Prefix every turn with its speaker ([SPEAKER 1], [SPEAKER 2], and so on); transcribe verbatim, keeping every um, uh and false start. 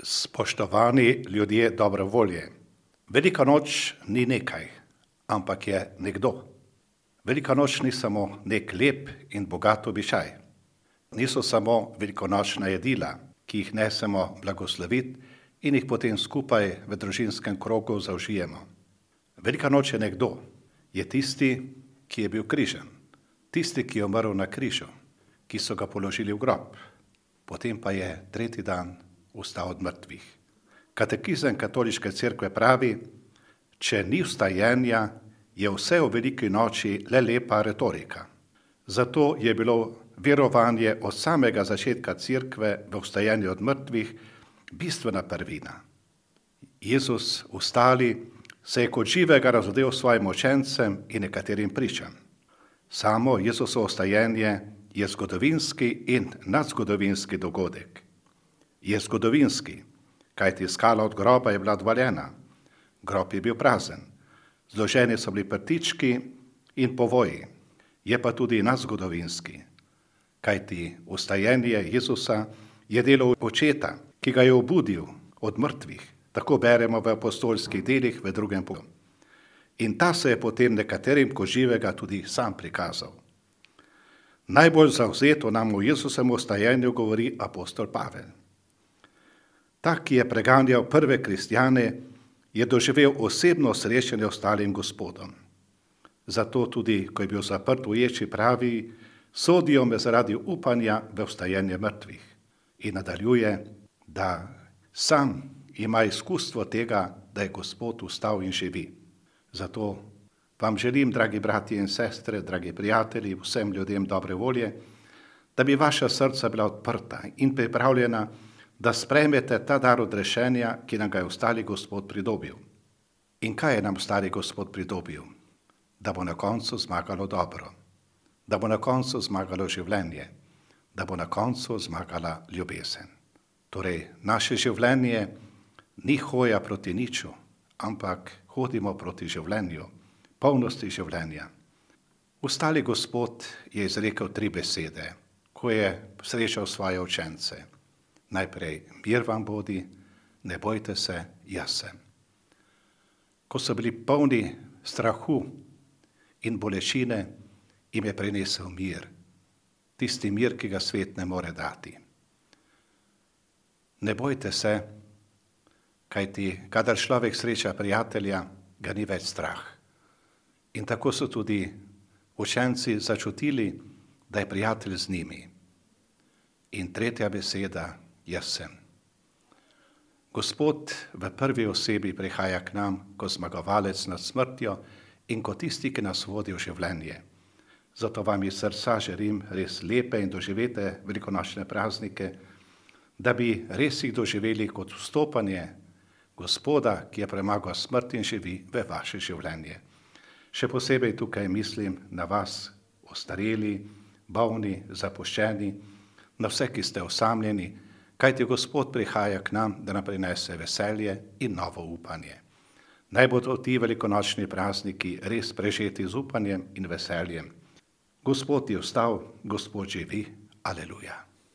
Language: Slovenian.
[SPEAKER 1] Spoštovani ljudje dobre volje, Velika noč ni nekaj, ampak je nekdo. Velika noč ni samo nek lep in bogat običaj. Niso samo velikonočna jedila, ki jih nesemo blagosloviti in jih potem skupaj v družinskem krogu zaužijemo. Velika noč je nekdo, je tisti, ki je bil križan, tisti, ki je umrl na križu, ki so ga položili v grob, potem pa je tretji dan vstal od mrtvih. Katekizem katoliške cerkve pravi, če ni vstajenja, je vse o veliki noči le lepa retorika. Zato je bilo verovanje od samega začetka cerkve v vstajenju od mrtvih bistvena prvina. Jezus vstali se je kot živega razodel svojim učencem in nekaterim pričam. Samo Jezusovo vstajenje je zgodovinski in nadzgodovinski dogodek. Je zgodovinski, kajti skala od groba je bila odvaljena, grob je bil prazen, zloženi so bili prtički in povoji. Je pa tudi nadzgodovinski, kajti vstajenje Jezusa je delo očeta, ki ga je obudil od mrtvih, tako beremo v apostolskih delih v drugem poglavju. In ta se je potem nekaterim kot živega tudi sam prikazal. Najbolj zavzeto nam o Jezusovem vstajenju govori apostol Pavel. Ta, ki je preganjal prve kristjane, je doživel osebno srečanje ostalim Gospodom. Zato tudi, ko je bil zaprt v ječi, pravi, sodijo me zaradi upanja v vstajenje mrtvih. In nadaljuje, da sam ima izkustvo tega, da je Gospod vstal in živi. Zato vam želim, dragi bratje in sestre, dragi prijatelji, vsem ljudem dobre volje, da bi vaša srca bila odprta in pripravljena, da sprejmete ta dar odrešenja, ki nam ga je ostali Gospod pridobil. In kaj je nam ostali Gospod pridobil? Da bo na koncu zmagalo dobro, da bo na koncu zmagalo življenje, da bo na koncu zmagala ljubezen. Torej, naše življenje ni hoja proti niču, ampak hodimo proti življenju, polnosti življenja. Ostali Gospod je izrekel tri besede, ko je srečal svoje učence. Najprej, mir vam bodi, ne bojte se, jaz sem. Ko so bili polni strahu in bolečine, jim je prinesel mir, tisti mir, ki ga svet ne more dati. Ne bojte se, kajti kadar človek sreča prijatelja, ga ni več strah. In tako so tudi učenci začutili, da je prijatelj z njimi. In tretja beseda, jaz sem. Gospod v prvi osebi prihaja k nam kot zmagovalec nad smrtjo in kot tisti, ki nas vodi v življenje. Zato vam iz srca želim res lepe in doživete velikonočne praznike, da bi res jih doživeli kot vstopanje Gospoda, ki je premagal smrt in živi v vaše življenje. Še posebej tukaj mislim na vas, ostareli, bolni, zapuščeni, na vse, ki ste osamljeni, kajti Gospod prihaja k nam, da nam prinese veselje in novo upanje. Naj bodo ti velikonočni prazniki res prežeti z upanjem in veseljem. Gospod je vstal, Gospod živi, aleluja.